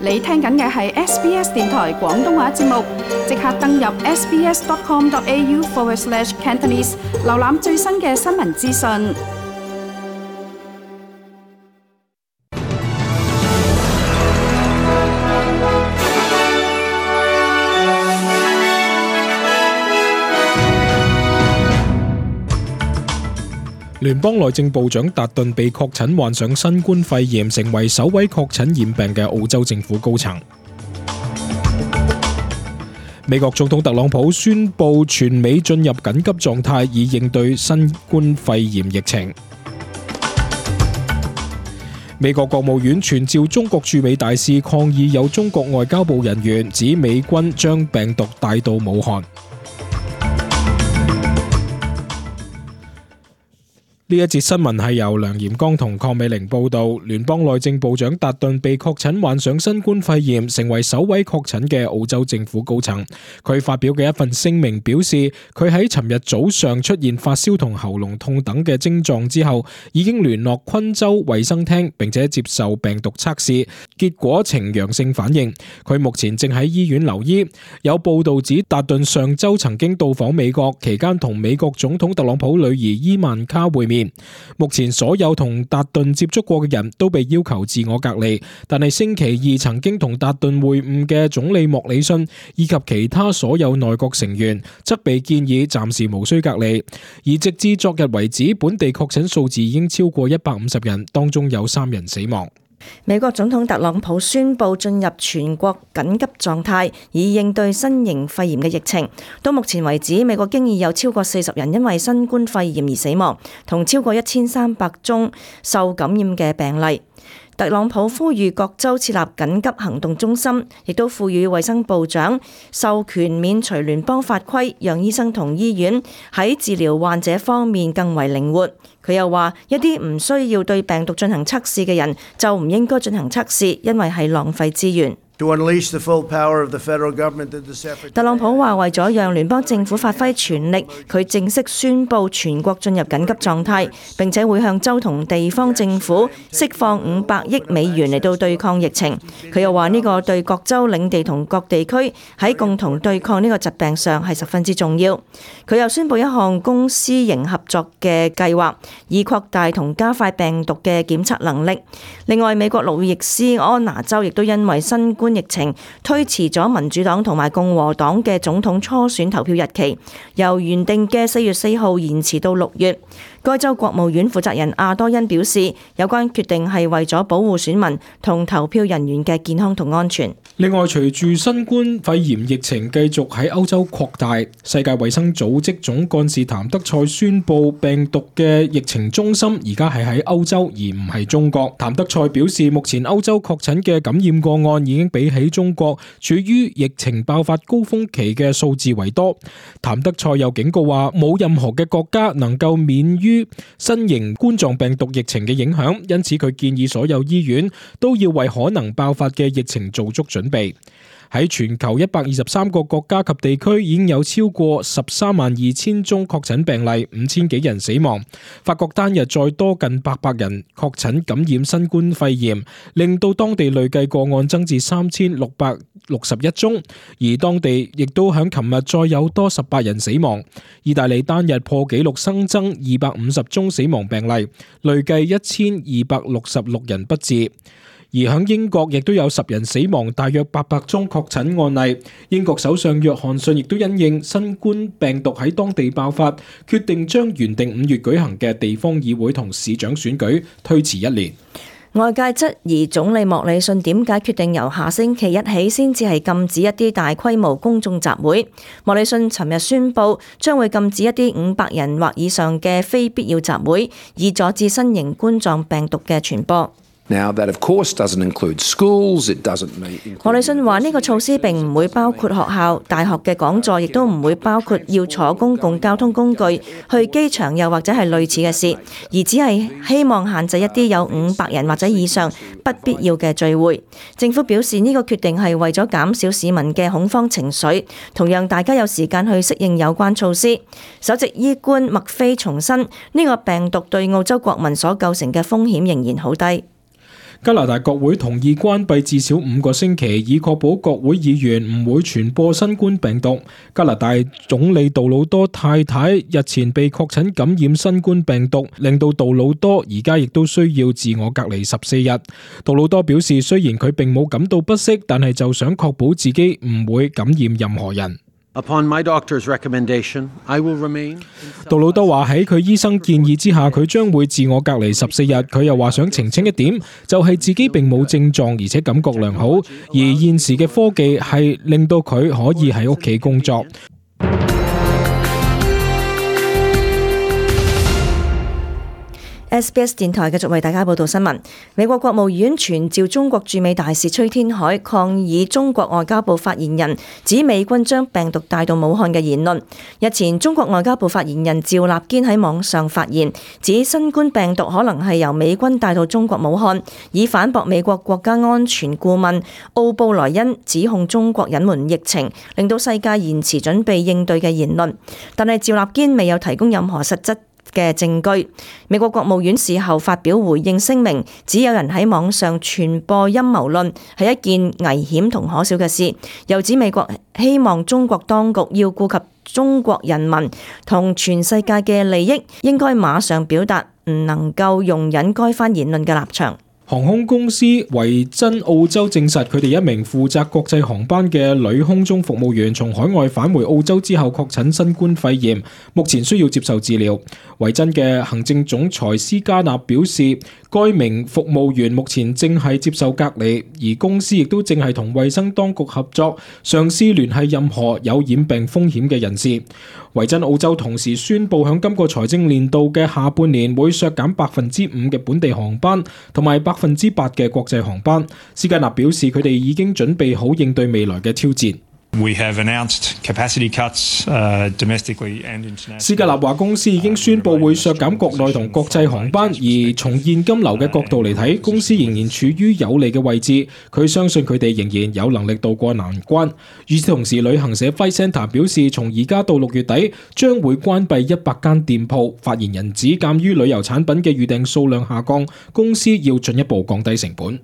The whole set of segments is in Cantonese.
你聽緊嘅係 SBS 電台廣東話節目，即刻登入 sbs.com.au/Cantonese 瀏覽最新嘅新聞資訊。聯邦內政部長達頓被確診患上新冠肺炎，成為首位確診染病嘅澳洲政府高層。美國總統特朗普宣布全美進入緊急狀態，以應對新冠肺炎疫情。美國國務院傳召中國駐美大使抗議有中國外交部人員指美軍將病毒帶到武漢。呢一節新聞係由梁炎剛同鄺美玲報道。聯邦內政部長達頓被確診患上新冠肺炎，成為首位確診嘅澳洲政府高層。佢發表嘅一份聲明表示，佢喺尋日早上出現發燒同喉嚨痛等嘅症狀之後，已經聯絡昆州衛生廳，並且接受病毒測試，結果呈陽性反應。佢目前正喺醫院留醫。有報道指達頓上周曾經到訪美國，期間同美國總統特朗普女兒伊萬卡會面。目前所有同達頓接觸過嘅人都被要求自我隔離，但係星期二曾經同達頓會晤嘅總理莫里遜以及其他所有內閣成員則被建議暫時無需隔離。而直至昨日為止，本地確診數字已經超過150人，當中有3人死亡。美國總統特朗普宣布進入全國緊急狀態，以應對新型肺炎嘅疫情。到目前為止，美國經已有超過40人因為新冠肺炎而死亡，同超過1300宗受感染嘅病例。特朗普呼籲各州設立緊急行動中心，亦都賦予衛生部長授權免除聯邦法規，讓醫生同醫院喺治療患者方面更為靈活。佢又話，一啲唔需要對病毒進行測試嘅人就唔應該進行測試，因為係浪費資源。特朗普話，為咗讓聯邦政府發揮全力，佢正式宣布全國進入緊急狀態，並且會向州同地方政府釋放500億美元嚟到對抗疫情。佢又話，呢個對各州領地同各地區喺共同對抗呢個疾病上係十分之重要。佢又宣布一項公私營合作嘅計劃，以擴大同加快病毒嘅檢測能力。另外，美國路易斯安那州亦都因為新冠疫情推遲咗民主黨同埋共和黨嘅總統初選投票日期，由原定嘅4月4號延遲到6月。該州國務院負責人阿多恩表示，有關決定係為咗保護選民同投票人員嘅健康同安全。另外，隨住新冠肺炎疫情繼續喺歐洲擴大，世界衛生組織總幹事譚德塞宣布病毒嘅疫情中心而家係喺歐洲而唔係中國。譚德塞表示，目前歐洲確診嘅感染個案已經比起中國處於疫情爆發高峰期嘅數字為多。譚德塞又警告話，冇任何嘅國家能夠免於新型冠狀病毒疫情嘅影響，因此佢建議所有醫院都要為可能爆發嘅疫情做足準備。喺全球123個國家及地區已經有超過132000宗確診病例，5000幾人死亡。法國單日再多近800人確診感染新冠肺炎，令到當地累計個案增至3661宗，而當地亦都響琴日再有多18人死亡。意大利單日破紀錄新增250宗死亡病例，累計1266人不治。而響英國亦都有10人死亡，大約800宗確診案例。英國首相約翰遜亦都因應新冠病毒喺當地爆發，決定將原定5月舉行嘅地方議會同市長選舉推遲1年。外界質疑總理莫里遜點解決定由下星期一起先至係禁止一啲大規模公眾集會。莫里遜尋日宣布將會禁止一啲500人或以上嘅非必要集會，以阻止新型冠狀病毒嘅傳播。Now, that of course doesn't include schools, it doesn't include... 莫里遜話呢個措施並唔會包括學校、大學嘅講座，亦都唔會包括要坐公共交通工具去機場又或者係類似嘅事，而只係希望限制一啲有500人或者以上不必要嘅聚會。政府表示呢個決定係為咗減少市民嘅恐慌情緒，同讓大家有時間去適應有關措施。首席醫官麥菲重申，呢個病毒對澳洲國民所構成嘅風險仍然好低。加拿大國會同意關閉至少5個星期，以確保國會議員唔會傳播新冠病毒。加拿大總理杜魯多太太日前被確診感染新冠病毒，令到杜魯多而家亦都需要自我隔離14日。杜魯多表示，雖然佢並冇感到不適，但係就想確保自己唔會感染任何人。Upon my doctor's recommendation, I will remain. 杜魯多話喺佢醫生建議之下，佢將會自我隔離14日。佢又話想澄清一點，就係自己並冇症狀，而且感覺良好。而現時嘅科技係令到佢可以喺屋企工作。SBS 電台繼續為大家報道新聞。美國國務院傳召中國駐美大使崔天凱抗議中國外交部發言人指美軍將病毒帶到武漢嘅言論。日前，中國外交部發言人趙立堅喺網上發言，指新冠病毒可能係由美軍帶到中國武漢，以反駁美國國家安全顧問奧布萊恩指控中國隱瞞疫情，令到世界延遲準備應對嘅言論。但係趙立堅未有提供任何實質嘅證據。美國國務院事後發表回應聲明，指有人喺網上傳播陰謀論係一件危險同可笑嘅事，又指美國希望中國當局要顧及中國人民同全世界嘅利益，應該馬上表達唔能夠容忍該番言論嘅立場。航空公司維珍澳洲證實，佢哋一名負責國際航班嘅女空中服務員從海外返回澳洲之後確診新冠肺炎，目前需要接受治療。維珍嘅行政總裁斯嘉納表示，該名服務員目前正係接受隔離，而公司亦都正係同衛生當局合作，嘗試聯繫任何有染病風險嘅人士。維珍澳洲同時宣布，響今個財政年度嘅下半年會削減5%嘅本地航班，同埋8%嘅國際航班。斯嘉納表示，佢哋已經準備好應對未來嘅挑戰。We have announced capacity cuts, domestically and internationally. 斯嘉納話，公司已經宣布會削減國內同國際航班，而從現金流嘅角度嚟睇，公司仍然處於有利嘅位置。佢相信佢哋仍然有能力渡過難關。與此同時，旅行社 Flight Centre 表示，從而家到6月底將會關閉100間店鋪。發言人指，鑑於旅遊產品嘅預訂數量下降，公司要進一步降低成本。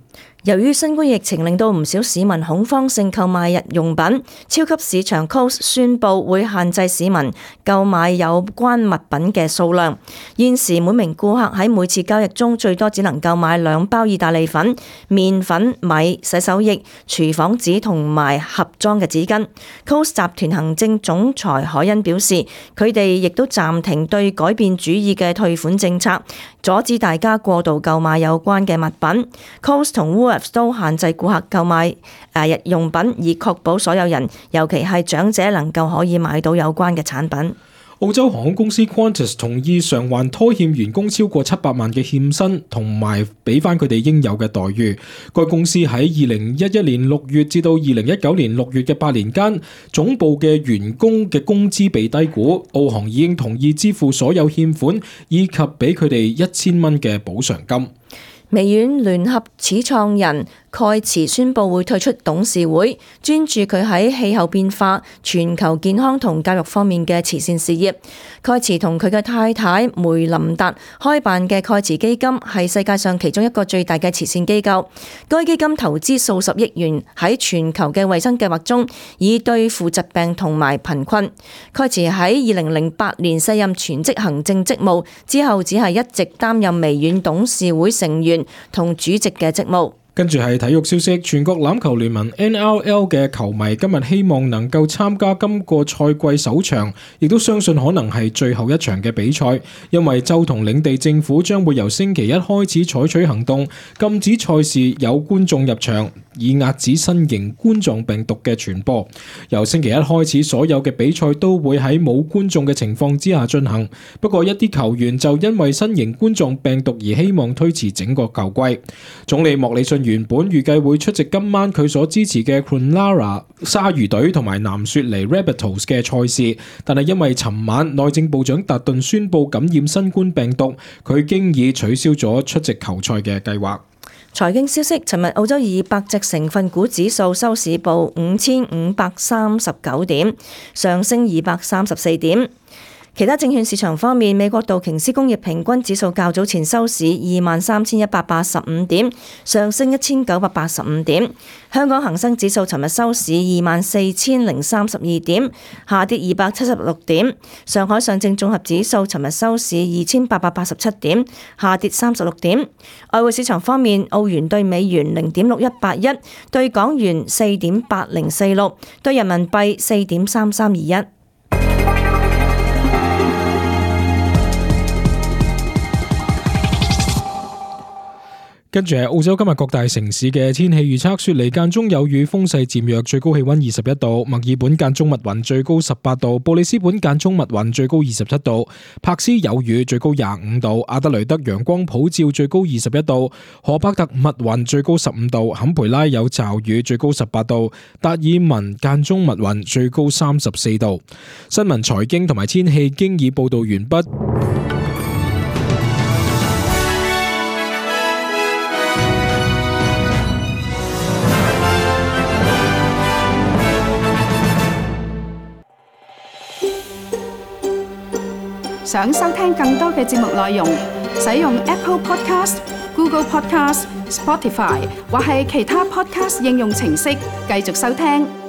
由於新冠疫情令到唔少市民恐慌性購買日用品，超級市場 Coles 宣布會限制市民購買有關物品嘅數量。現時每名顧客喺每次交易中最多只能夠買2包意大利粉、麵粉、米、洗手液、廚房紙同埋盒裝嘅紙巾。Coles 集團行政總裁海恩表示，佢哋亦都暫停對改變主意嘅退款政策，阻止大家過度購買有關嘅物品。Coles 同 Woolworths 都限制顧客購買日用品，以確保所有人，尤其係長者，能夠可以買到有關嘅產品。澳洲航空公司 Qantas 同意償還拖欠員工超過700萬嘅欠薪，同埋俾翻佢哋應有嘅待遇。該公司喺2011年6月至到2019年6月嘅8年間，總部嘅員工嘅工資被低估。澳航已經同意支付所有欠款，以及俾佢哋1000蚊嘅補償金。微軟聯合始創人蓋茨宣布會退出董事會，專注佢喺氣候變化、全球健康同教育方面嘅慈善事業。蓋茨同佢嘅太太梅琳達開辦嘅蓋茨基金係世界上其中一個最大嘅慈善機構。該基金投資數十億元喺全球嘅衛生計劃中，以對付疾病同埋貧困。蓋茨喺2008年卸任全職行政職務之後，只係一直擔任微軟董事會成員同主席嘅職務。跟住係體育消息，全國欖球聯盟 NRL 嘅球迷今日希望能夠參加今個賽季首場，亦都相信可能係最後一場嘅比賽，因為州同領地政府將會由星期一開始採取行動，禁止賽事有觀眾入場，以遏止新型冠狀病毒嘅傳播。由星期一開始，所有嘅比賽都會喺冇觀眾嘅情況之下進行。不過一啲球員就因為新型冠狀病毒而希望推遲整個球季。總理莫里遜原本預計會出席今晚佢所支持嘅 Cronulla 鯊魚隊同埋南雪梨 Rabbitohs 嘅賽事，但係因為尋晚內政部長達頓宣布感染新冠病毒，佢經已取消咗出席球賽嘅計劃。財經消息，尋日澳洲200隻成分股指數收市報5539點，上升234點。其他證券市場方面，美國道瓊斯工業平均指數較早前收市23,185點，上升1985點。香港恒生指數尋日收市24,032點，下跌276點。上海上證綜合指數尋日收市2,887點，下跌36點。外匯市場方面，澳元對美元0.6181，對港元4.8046，對人民幣4.3321。跟住係澳洲今日各大城市嘅天氣預測：雪梨間中有雨，風勢漸弱，最高氣溫21度；墨爾本間中密雲，最高18度；布里斯本間中密雲，最高27度；柏斯有雨，最高25度；阿德雷德陽光普照，最高21度；荷伯特密雲，最高15度；坎培拉有驟雨，最高18度；達爾文間中密雲，最高34度。新聞、財經同埋天氣經已報道完畢。想收聽更多嘅節目內容，使用 Apple Podcast、Google Podcast、Spotify 或係其他 Podcast 應用程式繼續收聽。